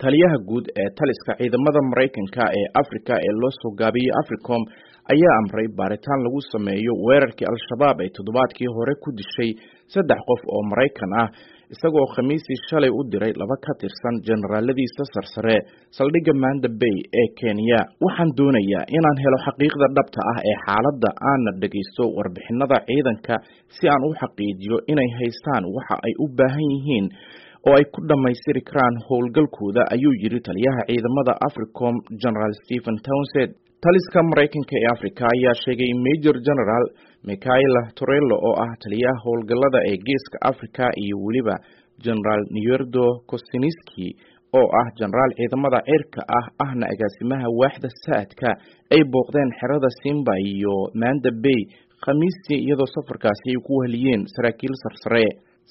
Taliyaha guud ee taliska ciidamada Maraykanka ee Afrika ee loo soo gaabiyey Africom ayaa amray baaritaan lagu sameeyo weerarkii Al-Shabaab ay toddobaadkii hore ku dishay saddex qof oo Maraykan ah, isagoo Khamiisii shalay u diray laba ka tirsan generaaladiisa sarsare saldhigga Manda Bay ee Kenya. Waxaan doonayaa inaan helo xaqiiqda dhabta ah ee xaaladda, aana dhegaysto warbixinada ciidanka si aan u xaqiijiyo inay haystaan waxa ay u baahan yihiin oo ay ku dhammaystiri karaan howlgalkooda, ayuu yidhi taliyaha ciidamada Africom General Stephen Townsend. Taliska Maraykanka ee Africa ayaa sheegay in Major General Michaela Torello oo ah taliyaha howlgallada ee Geeska Africa iyo weliba General Nierdo Kosiniski oo ah jenaraal ciidamada cirka ah ahna agaasimaha waaxda saadka ay booqdeen xerada Simba iyo Manda Bay Khamiistii, iyadoo safarkaasi ay ku weheliyeen saraakiil sarsare.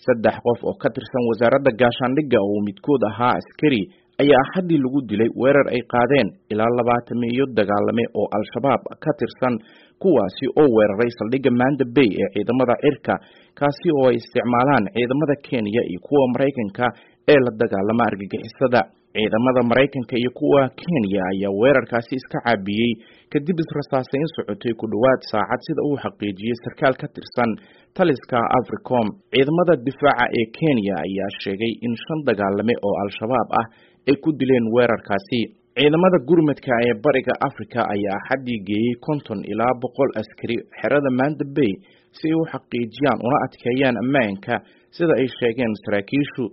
Saddex qof oo ka tirsan wasaaradda gaashaandhigga oo midkood ahaa askari ayaa Axaddii lagu dilay weerar ay qaadeen ilaa 20-meeyo dagaalame oo Al-Shabaab ka tirsan, kuwaasi oo weeraray saldhigga Manda Bay ee ciidamada cirka, kaasi oo ay isticmaalaan ciidamada Kenya iyo kuwa Maraykanka ee la dagaalama argagixisada. Ciidamada Maraykanka iyo kuwa Kenya ayaa weerarkaasi iska caabiyey kadib israsaasayn socotay ku dhowaad saacad, sida uu xaqiijiyey sarkaal ka tirsan taliska Africom. Ciidamada difaaca ee Kenya ayaa sheegay in shan dagaalame oo Al-Shabaab ah ay ku dileen weerarkaasi. Ciidamada gurmadka ee Bariga Africa ayaa Axaddii geeyey 50 ilaa 100 askari xerada Manda Bay si ay u xaqiijiyaan una adkeeyaan ammaanka, sida ay sheegeen saraakiishu.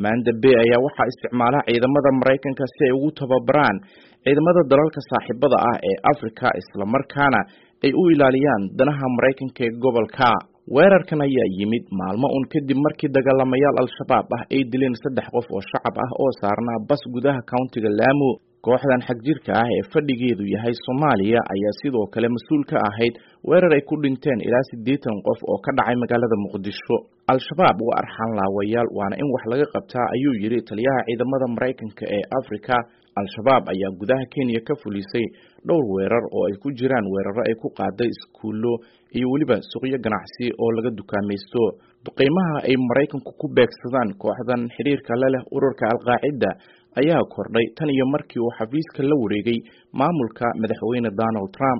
Manda Bay ayaa waxaa isticmaala ciidamada Maraykanka si ay ugu tababaraan ciidamada dalalka saaxiibada ah ee Afrika, islamarkaana ay u ilaaliyaan danaha Maraykanka ee gobolka. Weerarkan ayaa yimid maalmo un kadib markii dagaalamayaal Al-Shabaab ah ay dileen saddex qof oo shacab ah oo saarnaa bas gudaha countiga Lamu. Kooxdan xagjirka ah ee fadhigeedu yahay Soomaaliya ayaa sidoo kale mas-uul ka ahayd weerar ay ku dhinteen ilaa 80 qof oo ka dhacay magaalada Muqdisho. Al-Shabaab waa arxan laawayaal, waana in wax laga qabtaa, ayuu yidhi taliyaha ciidamada Maraykanka ee Afrika. Al-Shabaab ayaa gudaha Kenya ka fulisay dhowr weerar oo ay ku jiraan weeraro ay ku qaaday iskuullo iyo weliba suuqyo ganacsi oo laga dukaamaysto. Duqeymaha ay Maraykanku ku beegsadaan kooxdan xiriirka la leh ururka Al-Qaacida ayaa kordhay tan iyo markii uu xafiiska la wareegay maamulka madaxweyne Donald Trump.